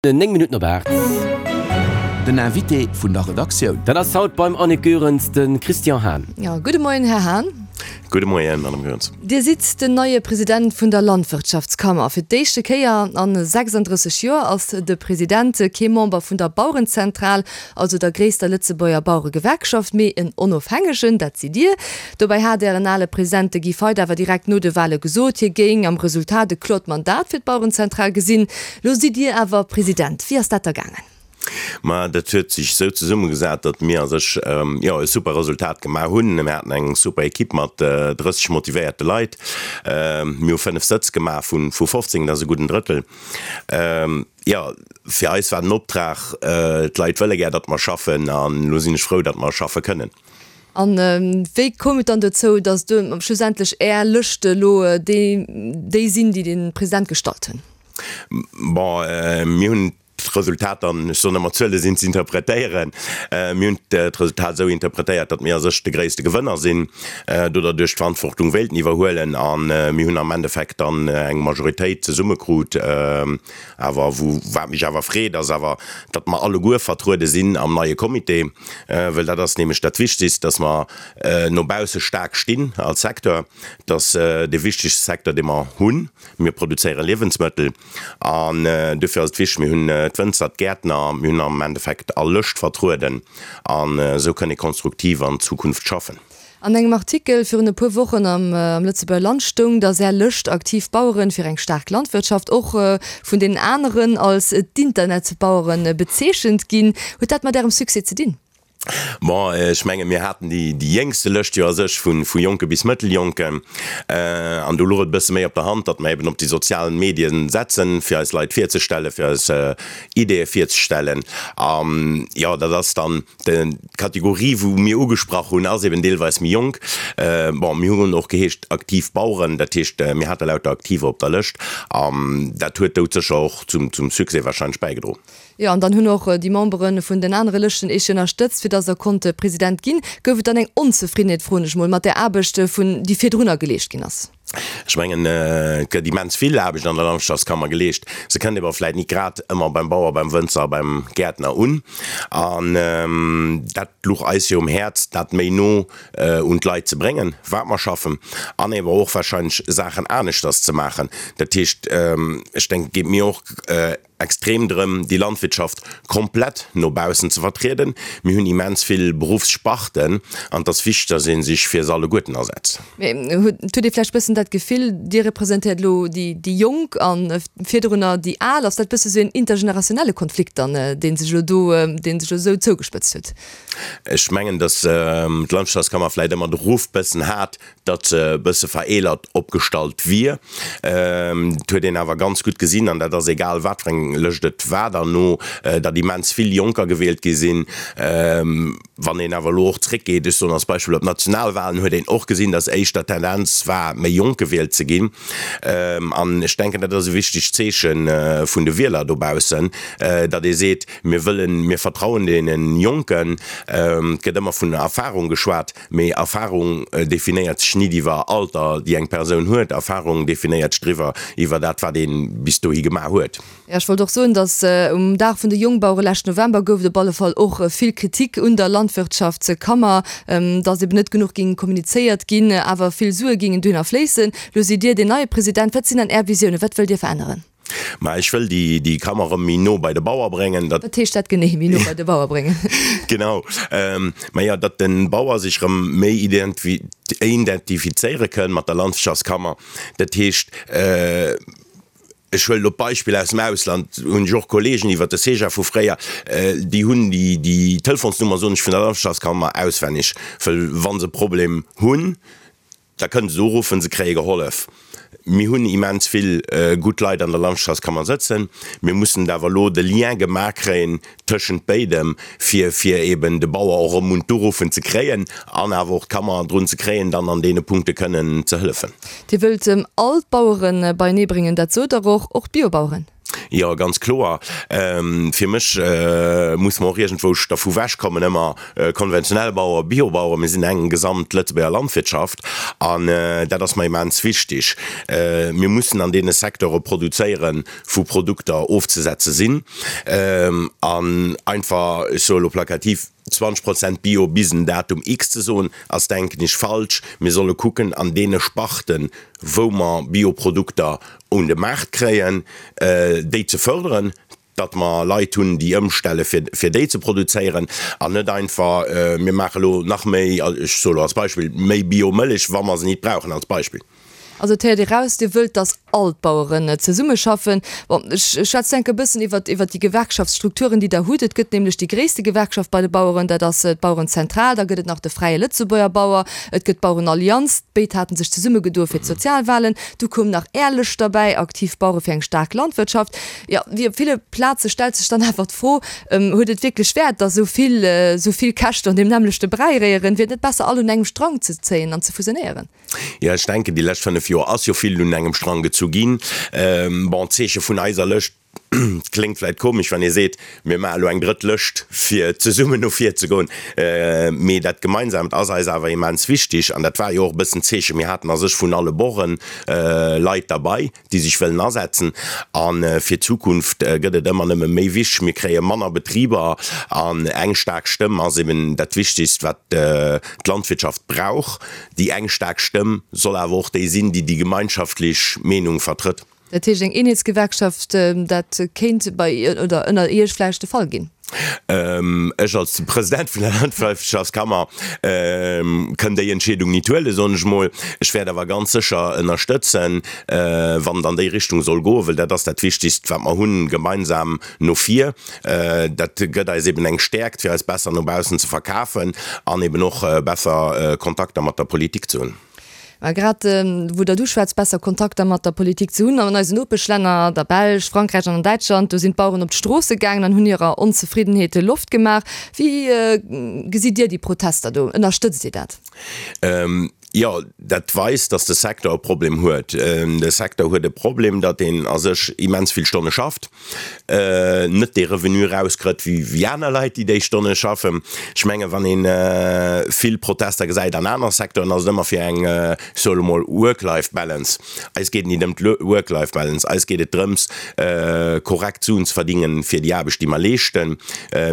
9 Minutten op 8. Den Invité vun der Redaktioun. Dat ass haut beim Annick Goerens de Christian Hahn. Jo, gudde Moien, Här Hahn. Gudde Moien, Madame Goerens. Dir sidd den neie President vun der Landwirtschaftskammer. Fir d'éischte Kéier a 36 Joer ass de President kee Member vun der Bauerenzentral, also der gréisster Lëtzebuerger Baueregewerkschaft, mee en Onofhängegen, dat sidd Dir. Dobäi hat Ären ale President, de Guy Feidt, awer direkt no de Wale gesot, hie géing am Resultat e klort Mandat fir d'Bauerenzentral gesinn. Lo sidd Dir awer President. Wéi ass dat da gaangen? Ma dat huet sech esou zesummegesat, datt mir a sech, jo, e super Resultat gemaach hunn. Mir haten eng super Equipe mat 30 motivéierte Leit. Mir hu 5 Sëtz gemaach vu 15, dat ass e gudden Drëttel. Jo, fir eis war den Optrag, d'Leit wëlle gär, datt mer schaffen an elo sinn ech frou, datt mer schaffe kënnen. A wéi koum et dann dozou, datt schlussendlech Är Lëscht elo déi sinn, déi de President gestallt hunn? Bon, mir hunn d'Resultat dann, ech soen ëmmer, Zuele sinn ze interpretéieren, mir hunn d'Resultat esou interpretéiert, datt mir a sech de gréisste Gewënner sinn, do derduerch d'Verantwortung wéilten iwwerhuelen a mir hunn am Endeffekt dann eng Majoritéit zesummekrut. Awer wou, wat mech awer freet, ass awer, datt mer alleguer vertruede sinn am neie Comité, well dat ass nämlech dat Wichtigst, datt mer no bausse staark stinn als Secteur. Dat ass dee wichtigste Secteur, dee mer hunn. Mir produzéiere Liewensmëttel an duerfir ass et wichteg, mir hunn d'Wënzer, d'Gäertner, mir hunn am Endeffekt all Lëscht vertrueden an esou kënn ee konstruktiv an d'Zukunft schaffen. An engem Artikel virun e puer Wochen am Lëtzebuerger Land stoung, datt Är Lëscht Aktiv Baueren fir eng staark Landwirtschaft och vun deenen aneren als d'Internetbaueren bezeechent ginn. Huet dat mat Ärem Succès ze dinn? Bon, ech menge mir haten déi jéngste Lëscht jo a sech, vu Jonke bis Mëtteljonken. An do louch et e bësse méi op der Hand, datt mer eben op déi sozial Medien setzen, fir eis Leit virzestellen, fir eis Ideeë virzestellen. An jo, dat ass dann d'Kategorie, wou mir ugesprach hunn, ass eben deelweis méi jonk. Bon, mir hunn och geheescht aktiv Baueren, dat heescht, mir hate lauter Aktiver op der Lëscht. An dat huet doudsécher och zum Succès warscheinlech bäigedroen. Jo, an dann hunn och déi Membere vun den anere Lëschten Iech ënnerstëtzt, fir dass Der konnt President ginn. Gouf et dann eng Onzefriddenheet, froen ech mol, mat där Aarbecht, vun déi virdrunner geleescht ginn ass? Ech mengen, et gëtt immens vill Aarbecht an der Landwirtschaftskammer geleescht. Se kënnt ewer vläit nit grad ëmmer beim Bauer, beim Wënzer a beim Gäertner un. An dat luch eis jo um Häerz, dat méi no un d'Leit ze bréngen, wat mer schaffen, an ewer och wahrscheinlech Saachen aneschters ze maachen. Dat heescht, ech denken, et geet mir och extrem drëm, déi Landwirtschaft komplett no baussen ze vertrieden. Mir hunn immens vill Beruffssparten an et ass wichteg, dass ee sech fir se alleguerten asetzt. Mee huet Dir vläicht bëssen dat Gefill, Dir representéiert elo déi Jonk a virdrunner déi Al? Ass dat bësse sou een intergenerationelle Konflikt dann, dee sech elo do, dee sech elo sou zougespëtzt huet? Ech mengen, dass d'Landwirtschaftskammer vläicht ëmmer de Ruff bëssen hat, datt se e bësse vereelert opgestallt wier. Et huet een awer ganz gutt gesinn, an dat ass egal wat fir eng Lëscht et war derno, datt immens vill Jonker gewielt gi sinn. Wann een awer elo och zréckgeet, ech soen als Beispill op d'Nationalwahlen, huet een och gesinn, datt éischter d'Tendenz war, méi jonk gewielt ze ginn. An ech denken, dat ass e wichtegt Zeeche vun de Wieler dobaussen, datt ee seet, Mir wëllen, mir vertrauen deene Jonken. Et gëtt ëmmer vun Erfahrung geschwat. Mee Erfahrung definéiert sech nit iwwer Alter, déi eng Persoun huet. Erfahrung definéiert sech driwwer, iwwer dat, wat ee bis dohi gemaach huet. Jo, ech wollt och soen, datt um Dag vun de Jongbauere leschten November gouf et op alle Fall och vill Kritik un der Landwirtschaftskammer, datt eben net genuch géing kommunizéiert ginn, awer vill Sue géingen dohinner fléissen. Lo sidd Dir deen neie President. Wat sinn dann Är Visiounen? Wat wëllt Dir veränneren? Mä ech wëll déi Kammer erëm méi no bei de Bauer bréngen. Dat. Wat heescht dat genee, méi no bei de Bauer bréngen? Genau. Mä jo, datt de Bauer sech erëm méi identifizéiere kënn mat der Landwirtschaftskammer. Dat heescht, ech huelen elo d'Beispill aus dem Ausland, hunn ech och Kollegen iwwert de CEJA vu fréier, déi hunn déi Telefonsnummer, soen ech, vun der Landwirtschaftskammer auswenneg, wëll wa se e Problem hunn, Da kënnen se uruffen, se kréie gehollef. Mir hunn immens vill gutt Leit an der Landstrassekammer sëtzen. Mir mussen et awer elo de Lien gemaach kréien tëschent béidem, fir fir eben de Bauer och erëm un d'Uruffen ze kréien an awer och d'Kammer drun ze kréien, dann an deene Punkte kënnen ze hëllefen. Dir wëllt all d'Bauere beienee bréngen, dat sot Der och, och d'Biobaueren? Jo, ganz kloer. Fir mech muss mer och iergendwou dervu wechkommen, ëmmer konventionell Bauer, Biobauer. Mir sinn eng gesamt Lëtzebuerger Landwirtschaft an dat ass mer immens wichtig. Mir mussen an deene Secteure produzéieren, wou Produkter ofzesetze sinn an einfach, ech soe lo plakativ, 20 Prozent Bio bis en Datum X ze soen, ass, denken ech, falsch. Mir solle kucken, an deene Sparten, wou mer Bioprodukter un de Maart kréien, déi ze förderen, datt mer Leit hunn, déi ëmstelle fir, fir déi ze produzéieren an net einfach, mir maache lo nach méi, ech soe lo als Beispill, méi Biomëllech, wa mer se nit brauchen, als Beispill. Also et héiert ee raus, Dir wëllt, datt all d'Baueren zesummeschaffen. Bon, ech schwätzen enk e bëssen iwwert, iwwert déi Gewerkschaftsstrukturen, déi Der hutt. Et gëtt nämlech déi gréisste Gewerkschaft bei de Baueren, dat ass d'Bauerenzentral. Da gëtt et nach de Fräie Lëtzebuerger Bauer, et gëtt d'Bauerenallianz. Béid hate sech zesummegedoe fir d'Sozialwahlen. Du koum nach Är Lëscht derbäi, Aktiv Bauere fir eng staark Landwirtschaft. Jo, wéi op ville Plaze stellt sech dann awer d'Fro, Huet et wierklech Wäert, datt esou vill, esou vill Käscht an deem nämmlechte Bräi réieren? Wier et net besser, all un engem Strang ze zéien an ze fusionéieren? Jo, ech denken, déi lescht 5 Joer ass jo vill un engem Strang gezu ginn. Bon, d'Zeeche vun eiser Lëscht kléngt vläit komesch, wann ee seet, mir maache elo eng drëtt Lëscht, fir zesummen no vir ze goen. Mee dat Gemeinsaamt ass eis awer immens wichtig. An dat war jo och e bëssen d'Zeechen. Mir haten a sech vun alle Borden Leit derbei, déi sech wëllen asetzen. A fir d'Zukunft gëtt et ëmmer nëmme méi wichteg. Mir kréie manner Betriber an eng staark Stëmm ass eben dat Wichtigst, wat d'Landwirtschaft brauch. Déi eng staark Stëmm soll awer och déi sinn, déi déi gemeinschaftlech Meenung vertrëtt. Dat heescht, eng Eenheetsgewerkschaft, dat kéint bei oder ënner Iech vläicht de Fall ginn? Ech als President vun der Landwirtschaftskammer kënn déi Entscheedung nit huelen, soen ech mol. Ech wäert awer ganz sécher ënnerstëtzen, wann et an déi Richtung soll goen, well dat ass dat Wichtigst, wat mer hunn, gemeinsam no vir. Dat gëtt eis eben eng Stäerkt, fir eis besser no baussen ze verkafen an eben och besser Kontakter mat der Politik ze hunn. Mä grad wou Der du schwätzt, besser Kontakter mat der Politik ze hunn, an eisen Nopeschlänner, der Belsch, Frankräich an an Däitschland, do sinn d'Baueren op d'Stroosse gaangen an hunn hirer Onzefriddenheet Loft gemaach. Wéi gesitt Dir déi Protester do? Ënnerstëtzt Dir dat? Jo, dat weist, datt de Secteur e Problem huet. De Secteur huet e Problem, datt een a sech immens vill Stonne schafft. net dee Revenu erauskritt wéi aner Leit, déi déi Stonne schaffen. Ech mengen, wann ee vill Protester gesäit an aner Secteuren, ass et ëmmer fir eng, ech soe lo mol, Work-Life-Balance. Eis geet et nit ëm d'Work-Life-Balance, eis geet et drëms, korrekt Suen ze verdingen fir déi Aarbecht, déi mer leeschten.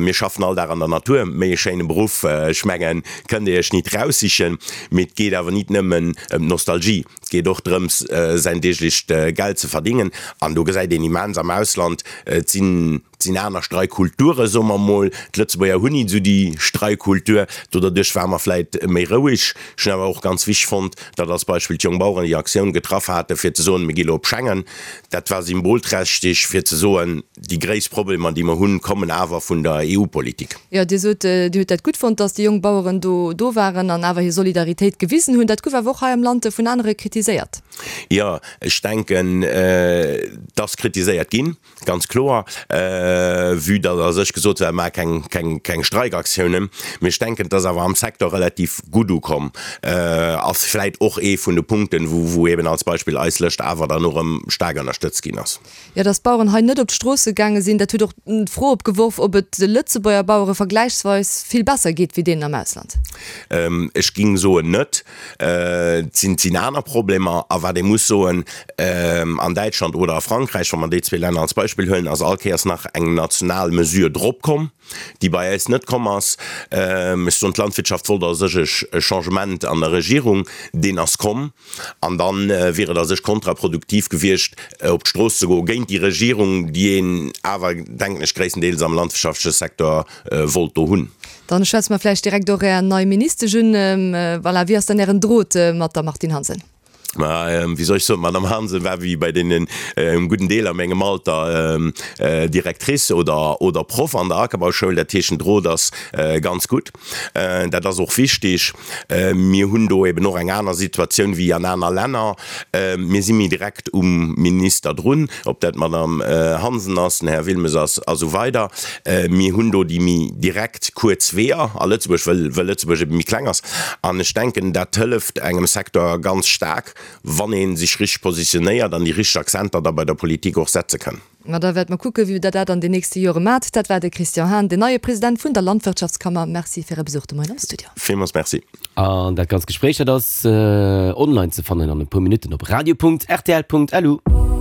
Mir schaffen all Dag an der Natur, méi e schéine Beruff, ech mengen, kënnt Dir Iech nit raussichen. Mee et geet awer nit nëmmen ëm d'Nostalgie. Et geet och drëms, säin deeglecht Geld ze verdingen. An do gesäit een immens am Ausland, et sinn, et sinn aner Streikkulture, soe mer emol. D'Lëtzebuerger hunn nit esou déi Streikkultur. Do derduerch ware mer vläit méi roueg. Ech hunn awer och ganz wichteg fonnt, datt als Beispill d'Jongbaueren déi Aktioun getraff hate fir ze soen, mir gi lo op Schengen. Dat war symbolträchteg fir ze soen, déi gréisst Problemer, déi mer hunn, kommen awer vun der EU-Politik. Jo, Dir sot, Dir hutt dat gutt fonnt, datt déi jonk Baueren do do waren an awer hir Solidaritéit gewisen hunn. Dat gouf awer och hei am Land vun anere kritiséiert. Jo, ech denken, et ass kritiséiert ginn, ganz kloer, vue datt a sech gesot war, maacht keng, keng, keng Streikaktiounen. Mee ech denken, et ass awer am Secteur relativ gutt ukomm. Ass vläit och ee vun de Punkten, wou, wou eben als Beispill eis Lëscht awer dann och erëm staark ënnerstëtzt ginn ass. Jo, datt d'Baueren hei net op d'Stroosse gaange sinn, dat huet och d'Fro opgeworf, ob et de Lëtzebuerger Bauere vergläichsweis vill besser geet wéi deenen am Ausland. Ech ging soen net. Et sinn, sinn aner Problemer. A wat ee muss soen, an Däitschland oder a Frankräich, wa mer déi zwee Länner als Beispill huelen, ass all Kéiers nach eng national Mesure drop komm, déi bei äis net komm ass. Ech soen, d'Landwirtschaft wollt a sech e Changement an der Regierung, deen ass komm. An da wier et a sech kontraproduktiv gewiescht, op d'Strooss ze goe géint déi Regierung, déi een awer, denken ech, gréisstendeels am landwirtschaftleche Secteur wollt do hunn. Dann schwätze mer vläicht direkt och Är nei Ministesch un. Voilà, wéi ass dann Ären Drot mat der Martine Hansen? Ma wéi soll ech soen, d'Madame Hansen war wéi bei deenen engem gudden Deel a mengem Alter Directrice oder oder Proff an der Ackerbauschoul. Dat heescht, den Drot ass ganz gutt. Dat ass och wichtig. Mir hunn do eben och eng aner Situatioun wéi an aner Länner. Mir si méi direkt um Minister drun, ob dat d'Madame Hansen ass, den Här Wilmes ass a sou weider. Mir hunn do déi méi direkt kuerz Weeër a Lëtzebuerg, well well Lëtzebuerg ebe méi kleng ass. An ech denken, dat hëlleft engem Secteur ganz staark, wann ee sech richteg positionéiert an déi richteg Akzenter da bei der Politik och setze kann. Ma da wäerte mer kucken, wéi Der dat an den nächste Jore maacht. Dat war de Christian Hahn, den neie President vun der Landwirtschaftskammer. Merci fir Äre Besuch de Moien am Studio. Villmools Merci. An dat ganzt Gespréich, dat ass online ze fannen an e puer Minutten op radio.rtl.lu.